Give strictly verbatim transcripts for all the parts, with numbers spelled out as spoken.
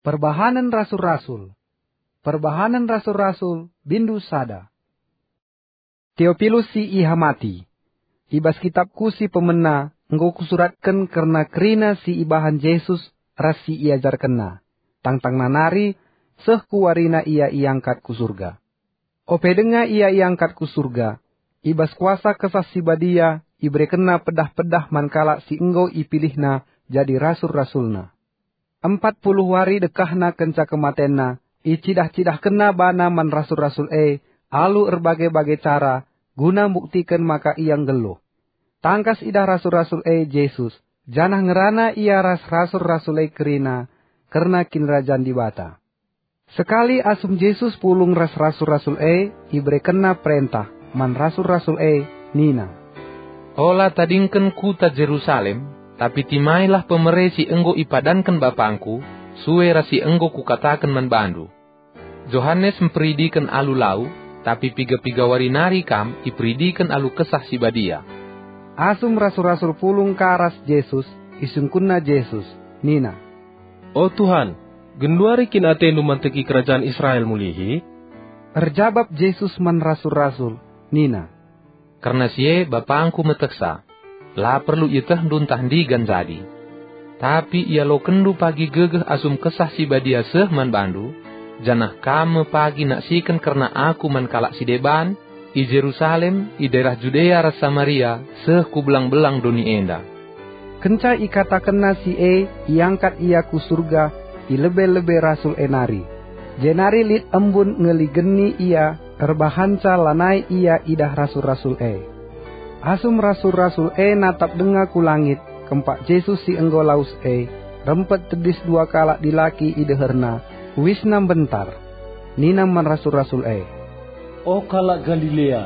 Perbahanen Rasul-Rasul. Perbahanen Rasul-Rasul, bindu sada. Teopilus si ihamati. I bas kitabku si pemena enggo kusuratken kerna kerina si ibahan Jesus ras si iajarkenNa, tangtangna nari seh ku warina Ia iangkat ku Surga. Ope denga Ia iangkat ku Surga, i bas kuasa Kesah Si Badia iberekenNa pedah-pedah man kalak si enggo ipilihNa jadi rasul-rasulNa. Empat puluh wari dekahna kenca kematenNa, icidah-cidahkenNa baNa man rasul-rasul e alu erbage-bage cara guna mbuktiken maka Ia nggeluh. Tangkas idah rasul-rasul e Jesus, janah ngerana Ia ras rasul-rasul e kerina kerna Kinirajan Dibata. Sekali asum Jesus pulung ras rasul-rasul e, iberekenNa perentah man rasul-rasul e nina, "Ola tadingken kuta Jerusalem, tapi timailah pemere si enggo ipadanken BapangKu, sue ras si enggo Kukataken man bandu. Johanes mperidiken alu lau, tapi piga-piga wari nari kam iperidiken alu Kesah Si Badia." Asum rasul-rasul pulung ka ras Jesus, isungkunna Jesus, nina, "O Tuhan, genduari kin atendu manteki kerajan Israel mulihi?" Erjabap Jesus man rasul-rasul, nina, "Kerna si e BapangKu metehsa, la perlu ietehndu ntah ndigan jadi. Tapi ialokenndu pagi gegeh asum Kesah Si Badia seh man bandu, janah kam me pagi naksiken kerna Aku man kalak si deban, i Jerusalem, i daerah Judea ras Samaria, seh ku belang-belang doni enda." Kenca ikatakenna si e, iangkat Ia ku Surga i lebe-lebe rasul e nari. Jenari lit embun ngeligeni Ia, erbahanca lanai Ia idah rasul-rasul e. Asum rasul-rasul e natap denga ku langit, kempak Jesus si enggo lawes e, rempet tedis dua kalak dilaki i deherNa, uisna mbentar. Nina man rasul-rasul e, "O kalak Galilea,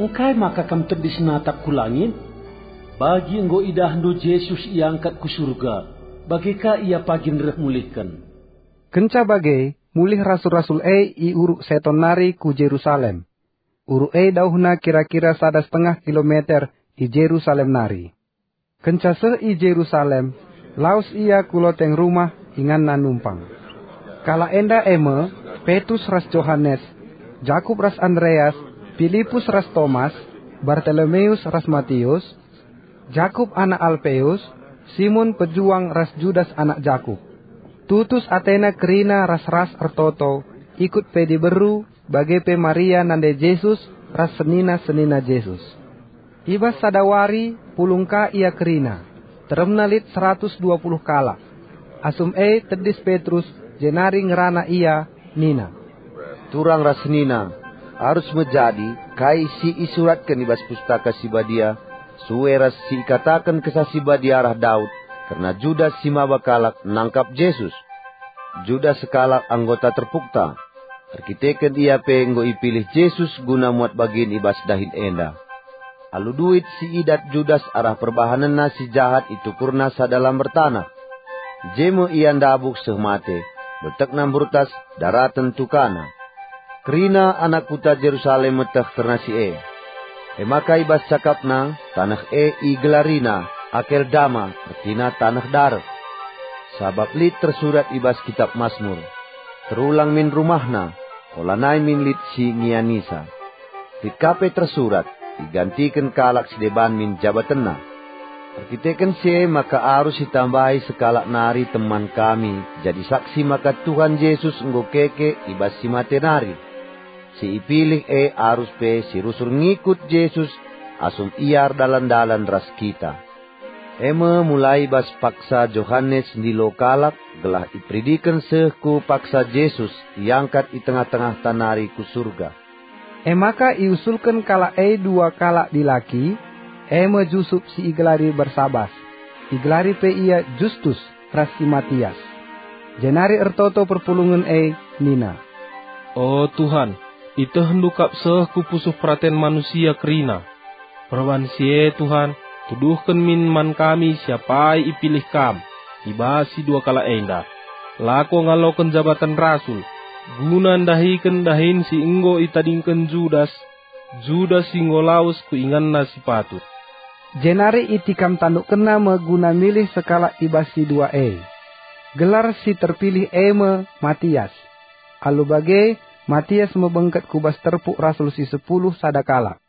engkai maka kam tedis natap ku langit? Bagi enggo idahndu Jesus iangkat ku Surga, bage ka Ia pagin reh mulihken." Kenca bage, mulih rasul-rasul e i Uruk Seton nari ku Jerusalem. Uruk e dauhna kira-kira sada setengah kilometer i Jerusalem nari. Kenca seh i Jerusalem, lawes ia ku loteng rumah inganna numpang. Kalak enda e me: Petrus ras Johanes, Jakup ras Andreas, Pilipus ras Tomas, Bartolomeus ras Matius, Jakup anak Alpeus, Simon pejuang ras Judas anak Jakup. Tutus atena kerina ras-ras ertoto, ikut pe diberu, bage pe Maria nande Jesus ras senina-senina Jesus. I bas sada wari pulung ka ia kerina, teremna lit seratus dua puluh kalak. Asum e tedis Petrus, jenari ngerana ia, nina, "Turang ras senina, arus me jadi kai si isuratken i bas Pustaka Si Badia, sue ras si ikataken Kesah Si Badia arah Daud kerna Judas si maba kalak nangkap Jesus. Judas sekalak anggota terpukta, erkiteken ia pe enggo ipilih Jesus guna muat bagin i bas dahin enda. Alu duit si idat Judas arah perbahanenna si jahat itukurna sada lamber taneh. Je me ia ndabuh seh mate, beltekna mburtas, daraten tukana. Kerina anak kuta Jerusalem meteh kerna si e. E maka i bas cakapna, taneh e igelarina Akeldama, ertina taneh dareh. Sabap lit tersurat i bas Kitap Masmur, 'Terulang min rumahna, olanai min lit si ngianisa.' Lit ka pe tersurat, 'Igantiken kalak si deban min jabatenna.' Erkiteken si e maka arus itambahi sekalak nari teman kami jadi saksi maka Tuhan Jesus enggo keke i bas si mate nari. Si ipilih e arus pe si rusur ngikut Jesus asum ia erdalan-dalan ras kita. E me mulai bas paksa Johanes ndilo kalak gelah iperidiken seh ku paksa Jesus iangkat i tengah-tengahta nari ku Surga." E maka iusulken kalak e dua kalak dilaki, e me Jusup si igelari Barsabas, igelari pe ia Justus, ras si Matias. Jenari ertoto perpulungen e nina, "O Tuhan, itehndu kap seh ku pusuh peraten manusia kerina. Perbahan si e, Tuhan, tuduhken min man kami si apai ipilih Kam i bas si dua kalak enda. Lako ngaloken jabaten rasul, guna ndahiken dahin si enggo itadingken Judas, Judas si enggo lawes ku inganna si patut." Jenari itikam tandukkenna me guna milih sekalak i bas si dua e. Gelar si terpilih e me Matias. Alu bage, Matias me bengket ku bas terpuk rasul si sepuluh sada kalak.